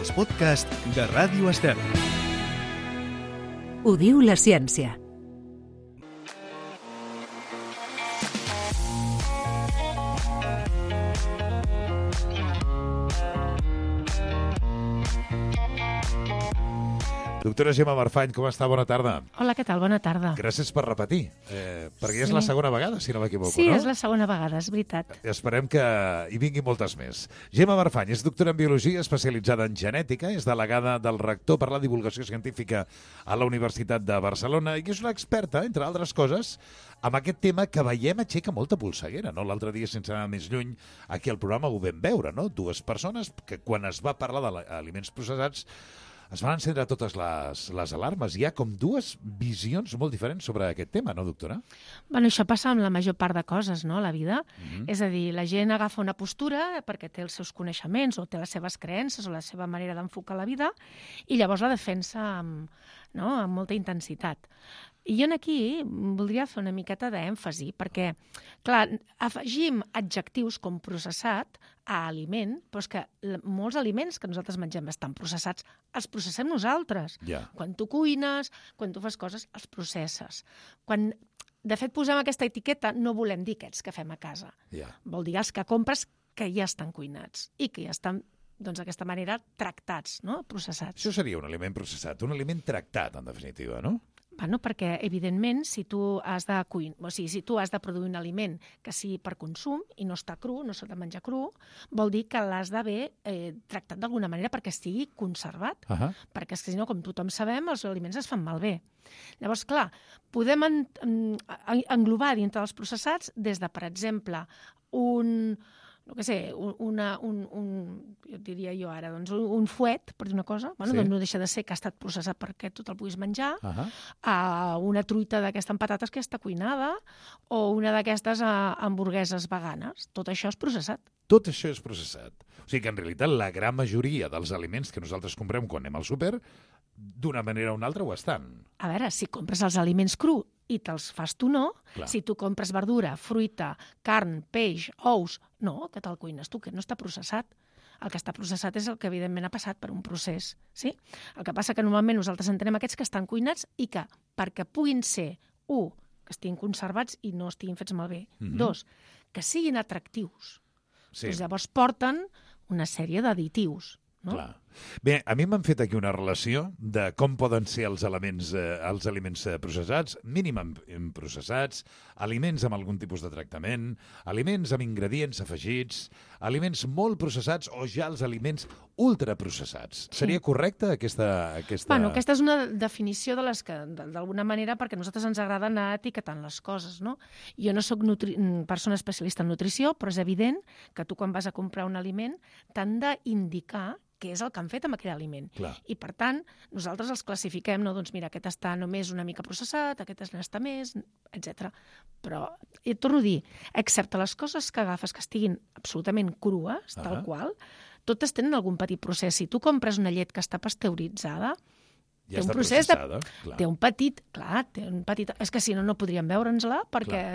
els podcasts de Ràdio Estel. Ho diu la ciència. Doctora Gemma Marfany, com està? Bona tarda. Hola, què tal? Bona tarda. Gràcies per repetir, perquè és la segona vegada, si no m'equivoco, sí, no? Sí, és la segona vegada, és veritat. Esperem que hi vinguin moltes més. Gemma Marfany és doctora en Biologia, especialitzada en Genètica, és delegada del rector per la divulgació científica a la Universitat de Barcelona i és una experta, entre altres coses, amb aquest tema que veiem aixeca molta polseguera, no? L'altre dia, sense anar més lluny, aquí al programa ho vam veure, no? Dues persones que quan es va parlar d'aliments processats es van encendre totes les alarmes. Hi ha com dues visions molt diferents sobre aquest tema, no, doctora? Bueno, això passa amb la major part de coses, no?, a la vida. És a dir, la gent agafa una postura perquè té els seus coneixements o té les seves creences o la seva manera d'enfocar la vida i llavors la defensa amb molta intensitat. I jo aquí voldria fer una miqueta d'èmfasi, perquè, clar, afegim adjectius com processat a aliment, però és que molts aliments que nosaltres mengem estan processats, els processem nosaltres. Yeah. Quan tu cuines, quan tu fas coses, els processes. Quan, de fet, posem aquesta etiqueta, no volem dir aquests que fem a casa. Yeah. Vol dir els que compres que ja estan cuinats i que ja estan d'aquesta manera tractats, no? Processats. Això seria un aliment processat, un aliment tractat, en definitiva, no? Bueno, perquè, evidentment, si tu has de si tu has de produir un aliment que sigui per consum i no està cru, no s'ha de menjar cru, vol dir que l'has d'haver tractat d'alguna manera perquè estigui conservat. Perquè, si no, com tothom sabem, els aliments es fan malbé. Llavors, clar, podem englobar dintre dels processats des de, per exemple, un fuet, per dir una cosa, doncs no deixa de ser que ha estat processat perquè tu te'l puguis menjar, una truita d'aquesta amb patates que està cuinada o una d'aquestes hamburgueses veganes. Tot això és processat. Tot això és processat. O sigui que, en realitat, la gran majoria dels aliments que nosaltres comprem quan anem al súper, d'una manera o una altra ho estan. A veure, si compres els aliments cru i te'ls fas tu, no. Clar. Si tu compres verdura, fruita, carn, peix, ous, no, que te'l cuines tu, que no està processat. El que està processat és el que, evidentment, ha passat per un procés. Sí? El que passa que normalment nosaltres entenem aquests que estan cuinats i que, perquè puguin ser, que estiguin conservats i no estiguin fets malbé. Dos, que siguin atractius. Sí. Doncs llavors porten una sèrie d'additius. No? Clar. Bé, a mi m'han fet aquí una relació de com poden ser els aliments processats, mínimament processats, aliments amb algun tipus de tractament, aliments amb ingredients afegits, aliments molt processats o ja els aliments ultraprocessats. Sí. Seria correcta aquesta... Bueno, aquesta és una definició de les que, d'alguna manera, perquè a nosaltres ens agrada anar etiquetant les coses, no? Jo no soc persona especialista en nutrició, però és evident que tu quan vas a comprar un aliment t'han d'indicar què és el que han fet amb aquell aliment. Clar. I, per tant, nosaltres els classifiquem, no? Doncs mira, aquest està només una mica processat, aquest n'està més, etc. Però, et torno a dir, excepte les coses que agafes que estiguin absolutament crues, tal qual, totes tenen algun petit procés. Si tu compres una llet que està pasteuritzada, ja té un procés té un petit... És que si no, no podríem veure'ns-la perquè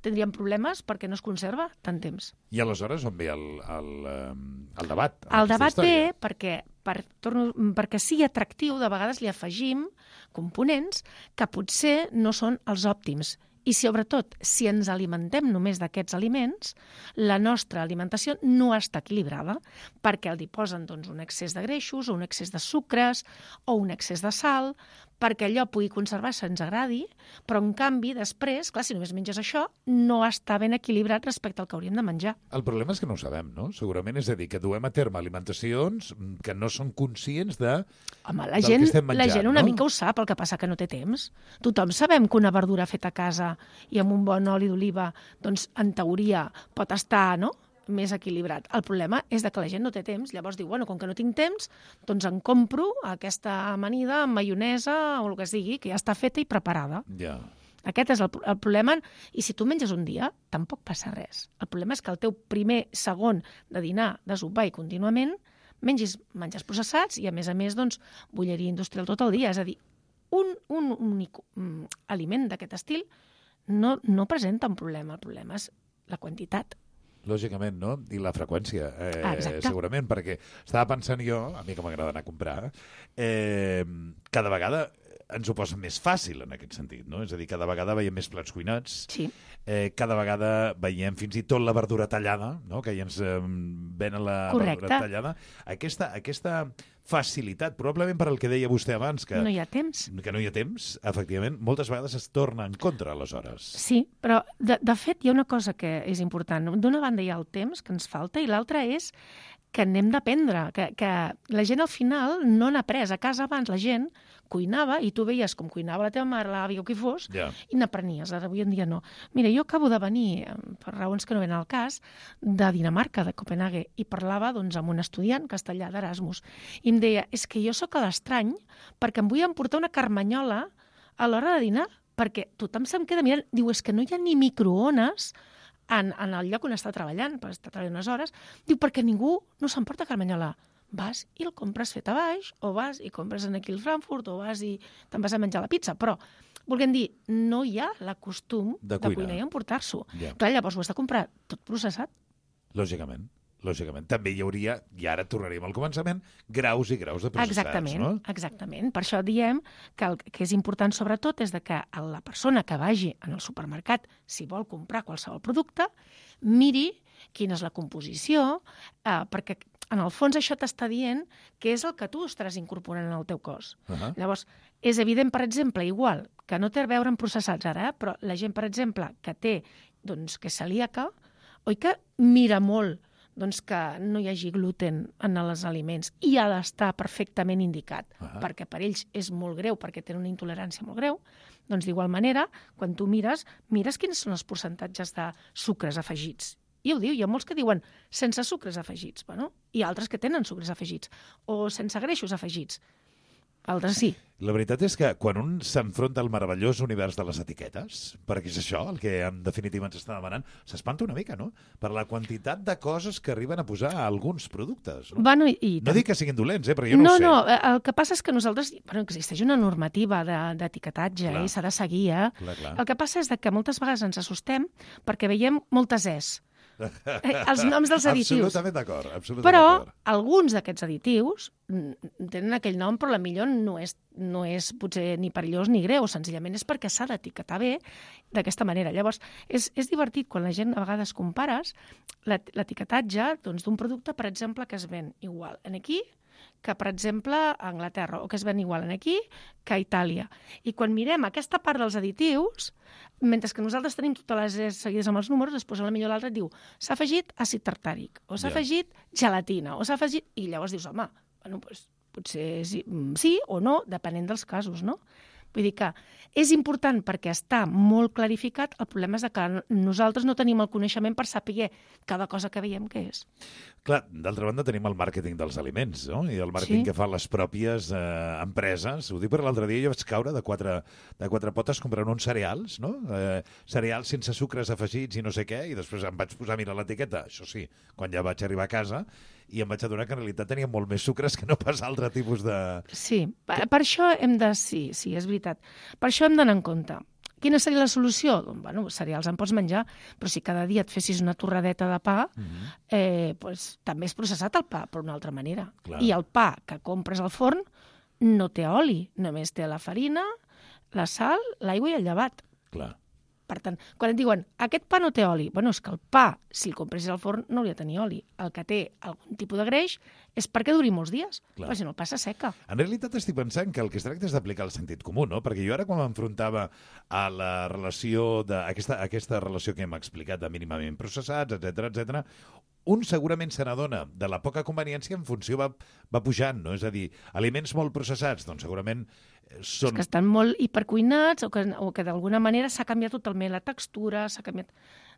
tindríem problemes perquè no es conserva tant temps. I aleshores on ve el debat? El debat ve perquè sigui atractiu, de vegades li afegim components que potser no són els òptims. I, sobretot, si ens alimentem només d'aquests aliments, la nostra alimentació no està equilibrada perquè hi posen un excés de greixos o un excés de sucres o un excés de sal perquè allò pugui conservar-se, ens agradi, però, en canvi, després, clar, si només menges això, no està ben equilibrat respecte al que hauríem de menjar. El problema és que no ho sabem, no? Segurament, és a dir, que duem a terme alimentacions que no són conscients del que estem menjant. La gent una mica ho sap, el que passa que no té temps. Tothom sabem que una verdura feta a casa i amb un bon oli d'oliva, doncs, en teoria, pot estar, no?, més equilibrat. El problema és que la gent no té temps. Llavors diu, com que no tinc temps, doncs em compro aquesta amanida amb maionesa o el que sigui, que ja està feta i preparada. Ja. Aquest és el problema. I si tu menges un dia, tampoc passa res. El problema és que el teu primer, segon de dinar, de sopar i contínuament, menges processats i, a més, doncs, bolleria industrial tot el dia. És a dir, un únic aliment d'aquest estil no presenta un problema. El problema és la quantitat. Lògicament, no? I la freqüència, segurament, perquè estava pensant jo, a mi que m'agrada anar a comprar, cada vegada ens ho posa més fàcil en aquest sentit, no? És a dir, cada vegada veiem més plats cuinats, Sí. Cada vegada veiem fins i tot la verdura tallada, no? Que ja ens venen la Correcte. verdura tallada. Aquesta facilitat, probablement per al que deia vostè abans, que No hi ha temps. no hi ha temps, efectivament, moltes vegades es torna en contra, aleshores. Sí, però de fet hi ha una cosa que és important. D'una banda hi ha el temps que ens falta i l'altra és que n'hem d'aprendre, que la gent al final no n'ha après. A casa abans la gent cuinava i tu veies com cuinava la teva mare, l'àvia o qui fos, Ja. i n'aprenies. Ara avui en dia no. Mira, jo acabo de venir, per raons que no venen al cas, de Dinamarca, de Copenhague, i parlava doncs, amb un estudiant castellà d'Erasmus. I em deia, és que jo sóc a l'estrany perquè em vull emportar una carmanyola a l'hora de dinar, perquè tothom se'm queda mirant. Diu, és que no hi ha ni microones en el lloc on està treballant, perquè està treballant unes hores. Diu, perquè ningú no s'emporta carmanyola. Vas i el compres fet a baix, o vas i compres aquí al Frankfurt, o vas i te'n vas a menjar la pizza. Però, volguem dir, no hi ha la costum De de cuinar. cuinar i emportar-s'ho. Ja. Clar, llavors ho has de comprar tot processat. Lògicament. També hi hauria, i ara tornaríem al començament, graus i graus de processats, no? Exactament. Per això diem que el que és important sobretot és de que la persona que vagi en el supermercat, si vol comprar qualsevol producte, miri quina és la composició, perquè en el fons això t'està dient què és el que tu estaràs incorporant en el teu cos. Llavors, és evident, per exemple, igual, que no té a veure amb processats ara, però la gent, per exemple, que té, doncs, que és celíaca, oi que mira molt doncs que no hi hagi gluten en els aliments i ha d'estar perfectament indicat, perquè per ells és molt greu, perquè tenen una intolerància molt greu, doncs d'igual manera, quan tu mires quins són els percentatges de sucres afegits. I ho diu, hi ha molts que diuen sense sucres afegits, bueno, i altres que tenen sucres afegits, o sense greixos afegits. Altres sí. La veritat és que quan un s'enfronta al meravellós univers de les etiquetes, perquè és això el que en definitiva ens està demanant, s'espanta una mica, no? Per la quantitat de coses que arriben a posar a alguns productes. No, bueno, no dic que siguin dolents, però jo no ho sé. No, el que passa és que nosaltres... existeix una normativa d'etiquetatge i s'ha de seguir, Clar. El que passa és que moltes vegades ens assustem perquè veiem moltes es. Els noms dels additius. Absolutament d'acord. Però alguns d'aquests additius tenen aquell nom, però millor no és potser ni perillós ni greu, senzillament és perquè s'ha d'etiquetar bé d'aquesta manera. Llavors, és divertit quan la gent a vegades compares l'etiquetatge d'un producte, per exemple, que es ven igual aquí que, per exemple, a Anglaterra, o que es ven igual aquí que a Itàlia. I quan mirem aquesta part dels additius, mentre que nosaltres tenim totes les es seguides amb els números, després a la millor l'altre diu s'ha afegit àcid tartàric, o s'ha afegit gelatina, o s'ha afegit... I llavors dius, home, bueno, doncs, potser sí o no, depenent dels casos, no? Vull dir que és important perquè està molt clarificat, el problema és que nosaltres no tenim el coneixement per saber cada cosa que veiem què és. Clar, d'altra banda tenim el màrqueting dels aliments, no? I el màrqueting que fan les pròpies empreses. Ho dic perquè l'altre dia jo vaig caure de quatre potes comprant uns cereals, no? Cereals sense sucres afegits i no sé què, i després em vaig posar a mirar l'etiqueta, això sí, quan ja vaig arribar a casa, i em vaig adonar que en realitat tenia molt més sucres que no pas altre tipus de... Sí, per això hem de... Sí, és veritat. Per això hem d'anar en compte. Quina seria la solució? Doncs, bueno, cereals en pots menjar, però si cada dia et fessis una torradeta de pa, doncs, també és processat el pa, però d'una altra manera. Clar. I el pa que compres al forn no té oli, només té la farina, la sal, l'aigua i el llevat. Clar. Per tant, quan et diuen aquest pa no té oli, bueno, és que el pa, si el compressis al forn, no hauria de tenir oli. El que té algun tipus de greix és perquè duri molts dies, perquè si no el pa s'asseca. En realitat estic pensant que el que es tracta és d'aplicar el sentit comú, no? Perquè jo ara quan m'enfrontava a la relació aquesta relació que hem explicat de mínimament processats, etc, un segurament se n'adona de la poca conveniència en funció va pujant, no? És a dir, aliments molt processats, doncs segurament són... És que estan molt hipercuinats o que d'alguna manera s'ha canviat totalment la textura, s'ha canviat...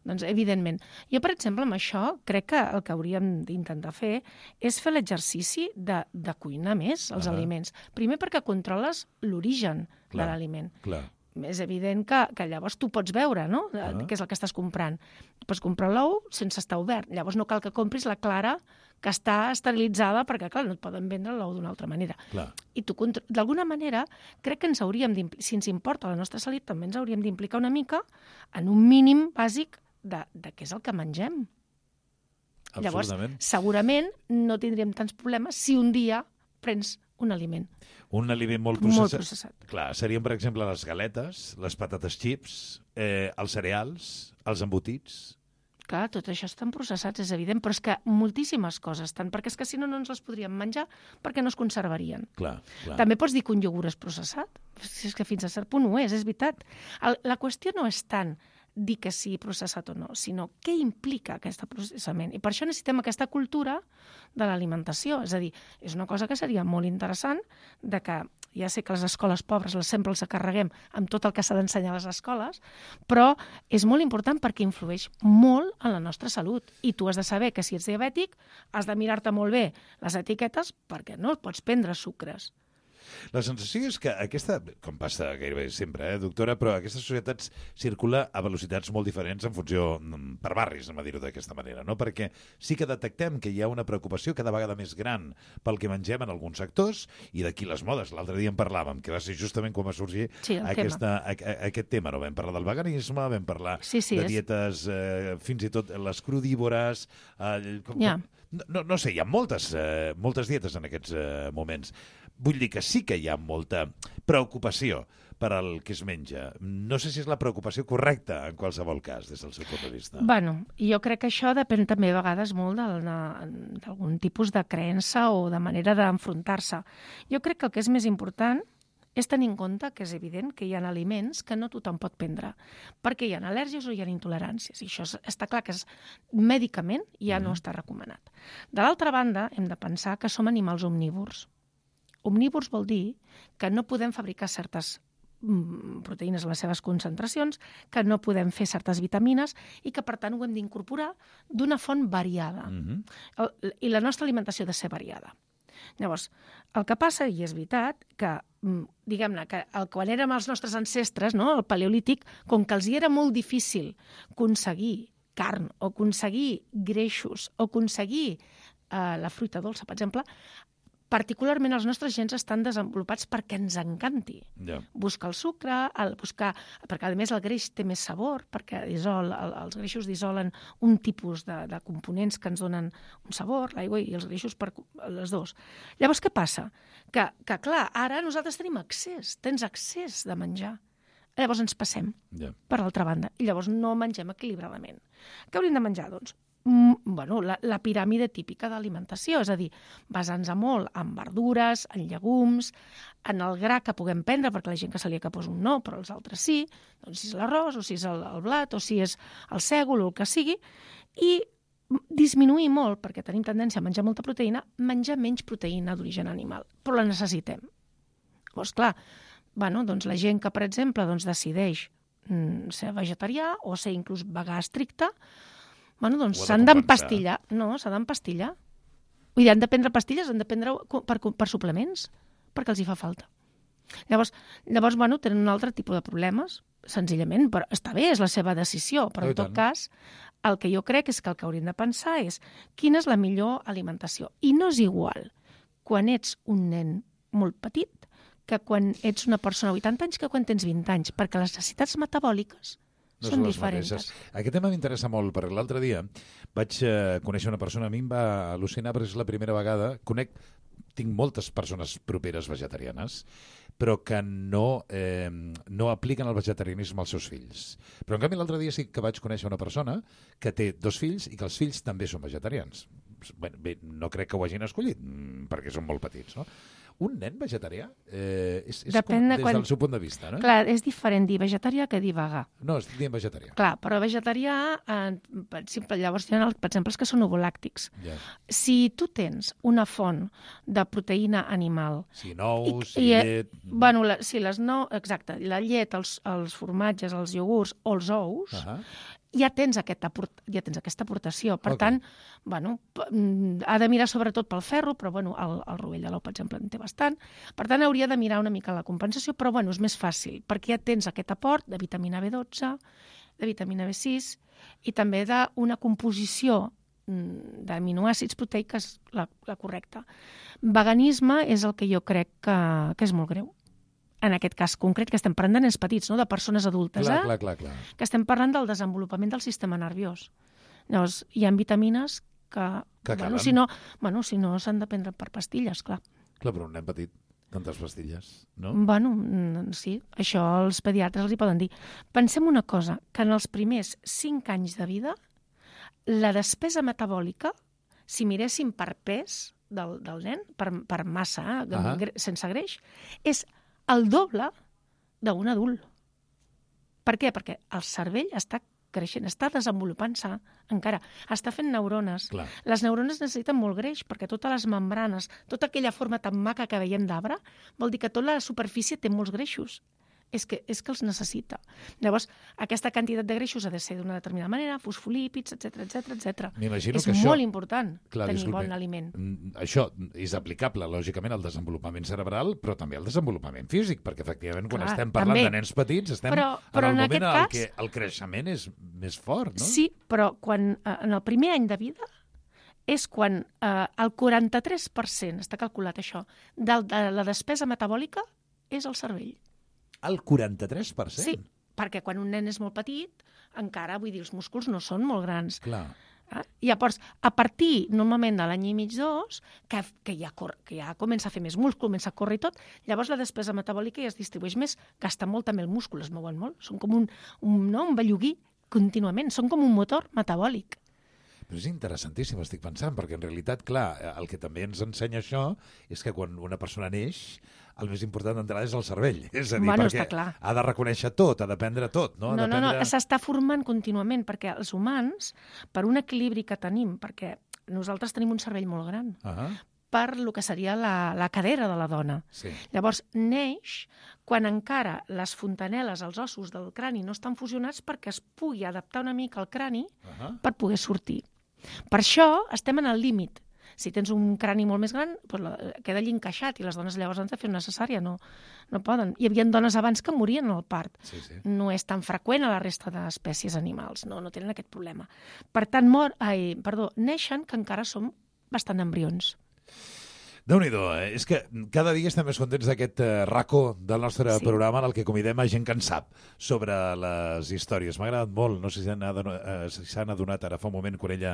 Doncs, evidentment. Jo, per exemple, amb això, crec que el que hauríem d'intentar fer és fer l'exercici de cuinar més els aliments. Primer perquè controles l'origen de l'aliment. Clar. És evident que llavors tu pots veure, no?, què és el que estàs comprant. Pots comprar l'ou sense estar obert. Llavors no cal que compris la clara que està esterilitzada perquè, clar, no et poden vendre l'ou d'una altra manera. Clar. I tu, d'alguna manera, crec que ens hauríem si ens importa la nostra salut, també ens hauríem d'implicar una mica en un mínim bàsic de què és el que mengem. Llavors, Absolutament. segurament no tindríem tants problemes si un dia prens un aliment. Un aliment molt Molt processat. processat. Clar, serien, per exemple, les galetes, les patates xips, els cereals, els embotits. Clar, tot això estan processats, és evident, però és que moltíssimes coses estan, perquè és que si no, no ens les podríem menjar perquè no es conservarien. Clar. També pots dir que un iogurt és processat. Si és que fins a cert punt ho és veritat. La qüestió no és tant dir que sigui processat o no, sinó què implica aquest processament. I per això necessitem aquesta cultura de l'alimentació. És a dir, és una cosa que seria molt interessant de que ja sé que les escoles pobres sempre els carreguem amb tot el que s'ha d'ensenyar a les escoles, però és molt important perquè influeix molt en la nostra salut. I tu has de saber que si ets diabètic has de mirar-te molt bé les etiquetes perquè no pots prendre sucres. La sensació és que aquesta, com passa gairebé sempre, doctora, però aquesta societat circula a velocitats molt diferents en funció per barris, anem a dir-ho d'aquesta manera, no? Perquè sí que detectem que hi ha una preocupació cada vegada més gran pel que mengem en alguns sectors, i d'aquí les modes. L'altre dia en parlàvem, que va ser justament quan va sorgir aquest tema. No? Vam parlar del veganisme, vam parlar de dietes, fins i tot les crudívores... No sé, hi ha moltes dietes en aquests moments. Vull dir que sí que hi ha molta preocupació per al que es menja. No sé si és la preocupació correcta en qualsevol cas, des del seu punt de vista. Bueno, jo crec que això depèn també a vegades molt d'algun tipus de creença o de manera d'enfrontar-se. Jo crec que el que és més important és tenir en compte que és evident que hi ha aliments que no tothom pot prendre, perquè hi ha al·lèrgies o hi ha intoleràncies, i això està clar que mèdicament ja no està recomanat. De l'altra banda, hem de pensar que som animals omnívors. Omnívors vol dir que no podem fabricar certes proteïnes a les seves concentracions, que no podem fer certes vitamines i que, per tant, ho hem d'incorporar d'una font variada. I la nostra alimentació ha de ser variada. Llavors, el que passa, i és veritat, que, diguem-ne, que quan érem els nostres ancestres, no, el paleolític, com que els hi era molt difícil aconseguir carn o aconseguir greixos o aconseguir la fruita dolça, per exemple, particularment els nostres gens estan desenvolupats perquè ens encanti. Buscar el sucre, perquè a més el greix té més sabor, perquè els greixos dissolen un tipus de components que ens donen un sabor, l'aigua i els greixos, les dos. Llavors, què passa? Que clar, ara nosaltres tenim accés, tens accés de menjar. Llavors ens passem per l'altra banda i llavors no mengem equilibradament. Què hauríem de menjar, doncs? La piràmide típica d'alimentació, és a dir, basant-se molt en verdures, en llegums, en el gra que puguem prendre, perquè la gent que celíaca posa un no, però els altres sí, doncs si és l'arròs, o si és el blat, o si és el sègol, o el que sigui, i disminuir molt, perquè tenim tendència a menjar molta proteïna, menjar menys proteïna d'origen animal, però la necessitem. Llavors, clar, doncs la gent que, per exemple, decideix ser vegetarià o ser inclús vegà estricte, doncs s'han d'empastillar. No, s'ha d'empastillar. Vull dir, han de prendre pastilles, han de prendre per suplements, perquè els hi fa falta. Llavors, tenen un altre tipus de problemes, senzillament, però està bé, és la seva decisió, però en tot cas, el que jo crec és que el que hauríem de pensar és quina és la millor alimentació. I no és igual quan ets un nen molt petit que quan ets una persona de 80 anys que quan tens 20 anys, perquè les necessitats metabòliques són diferents. Aquest tema m'interessa molt, perquè l'altre dia vaig conèixer una persona, a mi em va al·lucinar, perquè és la primera vegada, tinc moltes persones properes vegetarianes, però que no apliquen el vegetarianisme als seus fills. Però en canvi l'altre dia sí que vaig conèixer una persona que té 2 fills i que els fills també són vegetarians. Bé, no crec que ho hagin escollit, perquè són molt petits, no? Un nen vegetarià és com des del seu punt de vista, no? Clar, és diferent dir vegetarià que dir vegà. No, estic dient vegetarià. Clar, però vegetarià, llavors hi ha, per exemple, els que són ovolàctics. Si tu tens una font de proteïna animal... Sí, nous, llet... Sí, exacte, la llet, els formatges, els iogurts o els ous... ja tens aquesta aportació. Per tant, ha de mirar sobretot pel ferro, però el rovell de l'ou, per exemple, en té bastant. Per tant, hauria de mirar una mica la compensació, però és més fàcil, perquè ja tens aquest aport de vitamina B12, de vitamina B6 i també d'una composició d'aminoàcids proteics la correcta. Veganisme és el que jo crec que és molt greu. En aquest cas concret, que estem parlant de nens petits, no? De persones adultes, clar. Que estem parlant del desenvolupament del sistema nerviós. Llavors, hi ha vitamines Que bueno, calen. si no s'han de prendre per pastilles, clar. Clar, però un nen petit, tantes pastilles, no? Bueno, sí, això els pediatres els hi poden dir. Pensem una cosa, que en els primers 5 anys de vida, la despesa metabòlica, si miréssim per pes del nen, per massa, sense greix, és el doble d'un adult. Per què? Perquè el cervell està creixent, està desenvolupant-se encara, està fent neurones. Clar. Les neurones necessiten molt greix perquè totes les membranes, tota aquella forma tan maca que veiem d'arbre, vol dir que tota la superfície té molts greixos. És que els necessita. Llavors, aquesta quantitat de greixos ha de ser d'una determinada manera, fosfolípids, etc. M'imagino És que això... molt important Clar, tenir bon aliment. Això és aplicable, lògicament, al desenvolupament cerebral, però també al desenvolupament físic, perquè, efectivament, quan estem parlant de nens petits, estem però en el en moment en cas, què el creixement és més fort, no? Sí, però quan en el primer any de vida és quan el 43%, està calculat això, de la despesa metabòlica és el cervell. El 43%? Sí, perquè quan un nen és molt petit, encara, vull dir, els músculs no són molt grans. Clar. Llavors, a partir, normalment, de l'any i mig, 2, que ja comença a fer més múscul, comença a córrer i tot, llavors la despesa metabòlica ja es distribueix més, gasta molt també el múscul, es mouen molt. Són com un belluguí contínuament, són com un motor metabòlic. Però és interessantíssim, estic pensant, perquè en realitat, clar, el que també ens ensenya això és que quan una persona neix, el més important d'entrada és el cervell. És a dir, perquè ha de reconèixer tot, ha d'aprendre tot, no? No, s'està formant contínuament, perquè els humans, per un equilibri que tenim, perquè nosaltres tenim un cervell molt gran, per el que seria la cadera de la dona. Sí. Llavors, neix quan encara les fontaneles, els ossos del crani no estan fusionats perquè es pugui adaptar una mica al crani per poder sortir. Per això estem en el límit. Si tens un crani molt més gran, doncs queda allí encaixat i les dones llavors han de fer una cesària, no poden. Hi havia dones abans que morien al part. Sí. No és tan freqüent a la resta d'espècies animals, no tenen aquest problema. Per tant, neixen que encara som bastant embrions. Déu-n'hi-do, és que cada dia estem més contents d'aquest racó del nostre programa en el que convidem a gent que en sap sobre les històries. M'ha agradat molt, no sé si s'han adonat ara fa un moment quan ella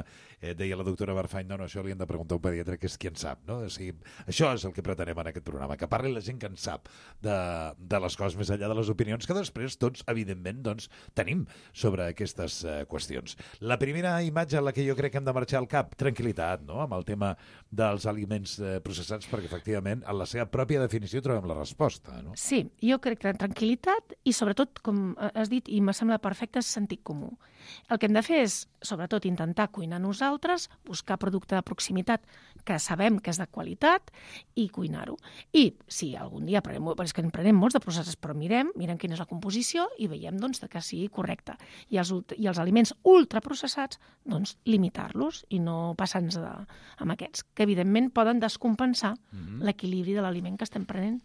deia la doctora Barfany, no, això li hem de preguntar a un pediatre que és qui en sap, no? O sigui, això és el que pretenem en aquest programa, que parli la gent que en sap de les coses més enllà de les opinions que després tots, evidentment, doncs, tenim sobre aquestes qüestions. La primera imatge a la que jo crec que hem de marxar al cap, tranquil·litat, no?, amb el tema dels aliments processats, perquè efectivament en la seva pròpia definició trobem la resposta, no? Sí, jo crec que tranquil·litat i sobretot, com has dit, i m'ha semblat perfecte, és sentit comú. El que hem de fer és, sobretot, intentar cuinar nosaltres, buscar producte de proximitat que sabem que és de qualitat i cuinar-ho. I si algun dia és que en prenem molts de processats, però mirem quina és la composició i veiem doncs, que sigui correcta. I els aliments ultraprocessats, doncs, limitar-los i no passar-nos amb aquests, que evidentment poden descompensar l'equilibri de l'aliment que estem prenent.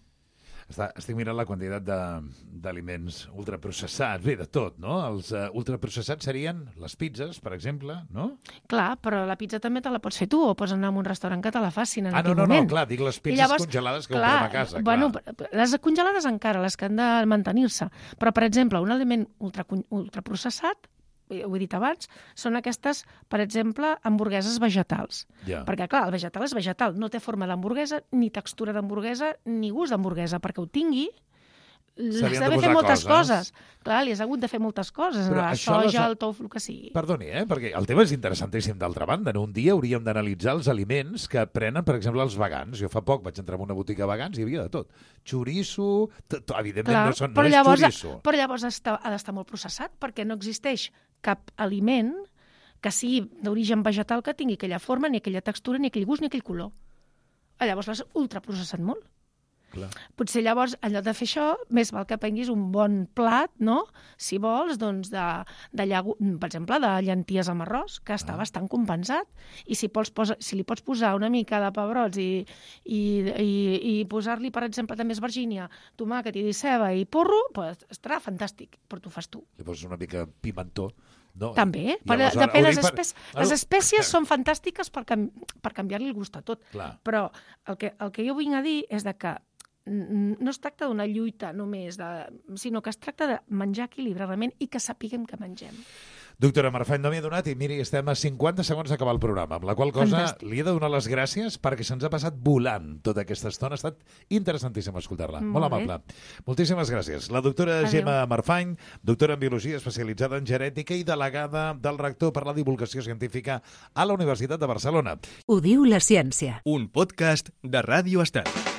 Estic mirant la quantitat d'aliments ultraprocessats, bé, de tot, no? Els ultraprocessats serien les pizzas, per exemple, no? Clar, però la pizza també te la pots fer tu, o pots anar a un restaurant que te la facin en aquell moment. No, clar, dic les pizzas congelades que comprem a casa. Bueno, les congelades encara, les que han de mantenir-se. Però, per exemple, un aliment ultraprocessat, ho he dit abans, són aquestes, per exemple, hamburgueses vegetals. Perquè, clar, el vegetal és vegetal, no té forma d'hamburguesa, ni textura d'hamburguesa, ni gust d'hamburguesa. Perquè ho tingui, li has d'haver fet moltes coses. Clar, li has hagut de fer moltes coses, la soja, el tofu, el que sigui. Perdoni, perquè el tema és interessantíssim d'altra banda. Un dia hauríem d'analitzar els aliments que prenen, per exemple, els vegans. Jo fa poc vaig entrar en una botiga de vegans i hi havia de tot. Xoriço, evidentment no és xoriço. Però llavors ha d'estar molt processat, perquè no existeix cap aliment que sigui d'origen vegetal que tingui aquella forma, ni aquella textura, ni aquell gust, ni aquell color. Llavors l'has ultraprocessat molt. Clar. Potser llavors, en lloc de fer això, més val que prenguis un bon plat, no? Si vols, doncs, per exemple, de llenties amb arròs, que està bastant compensat. I si li pots posar una mica de pebrots i posar-li, per exemple, també esvergínia, tomàquet i ceba i porro, doncs estarà fantàstic, però t'ho fas tu. Li poses una mica pimentó. No. També, depèn. Les espècies són fantàstiques per canviar-li el gust a tot. Clar. Però el que jo vinc a dir és que no es tracta d'una lluita només, sinó que es tracta de menjar equilibradament i que sapiguem que mengem. Doctora Marfany, no m'hi he donat i miri, estem a 50 segons d'acabar el programa, amb la qual cosa Fantàstic. li he de donar les gràcies perquè se'ns ha passat volant tota aquesta estona. Ha estat interessantíssim escoltar-la. Molt Molt bé. amable. Moltíssimes gràcies. La doctora Adéu. Gemma Marfany, doctora en Biologia especialitzada en genètica i delegada del rector per la divulgació científica a la Universitat de Barcelona. Ho diu la ciència. Un podcast de Ràdio Estat.